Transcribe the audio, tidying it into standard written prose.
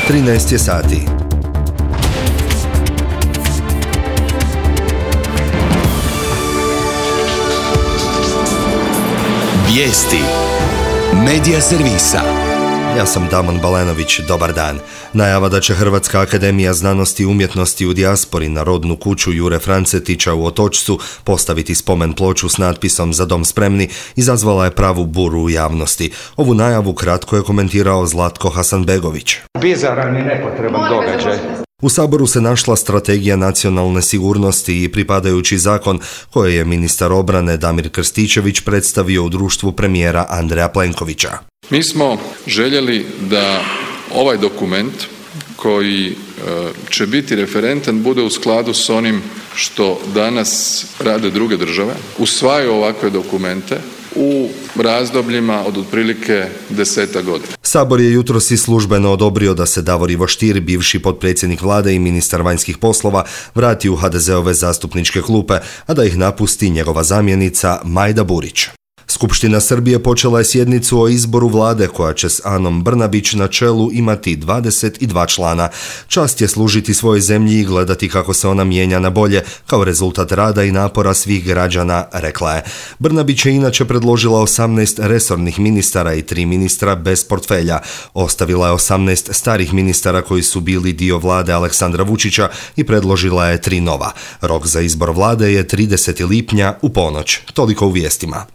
13 je sati. Vijesti Medija servisa. Ja sam Damon Balenović, dobar dan. Najava da će Hrvatska akademija znanosti i umjetnosti u dijaspori na rodnu kuću Jure Francetića u Otočcu postaviti spomen ploču s natpisom Za dom spremni izazvala je pravu buru u javnosti. Ovu najavu kratko je komentirao Zlatko Hasanbegović. Bizaran i nepotreban događaj. U Saboru se našla strategija nacionalne sigurnosti i pripadajući zakon koje je ministar obrane Damir Krstičević predstavio u društvu premijera Andreja Plenkovića. Mi smo željeli da ovaj dokument koji će biti referentan bude u skladu s onim što danas rade druge države, usvajaju ovakve dokumente u razdobljima od otprilike 10 godina. Sabor je jutros i službeno odobrio da se Davor Ivo Stier, bivši potpredsjednik vlade i ministar vanjskih poslova, vrati u HDZ-ove zastupničke klupe, a da ih napusti njegova zamjenica Majda Burić. Skupština Srbije počela je sjednicu o izboru vlade koja će s Anom Brnabić na čelu imati 22 člana. Čast je služiti svojoj zemlji i gledati kako se ona mijenja na bolje kao rezultat rada i napora svih građana, rekla je. Brnabić je inače predložila 18 resornih ministara i 3 ministra bez portfelja. Ostavila je 18 starih ministara koji su bili dio vlade Aleksandra Vučića i predložila je 3 nova. Rok za izbor vlade je 30. lipnja u ponoć. Toliko u vijestima.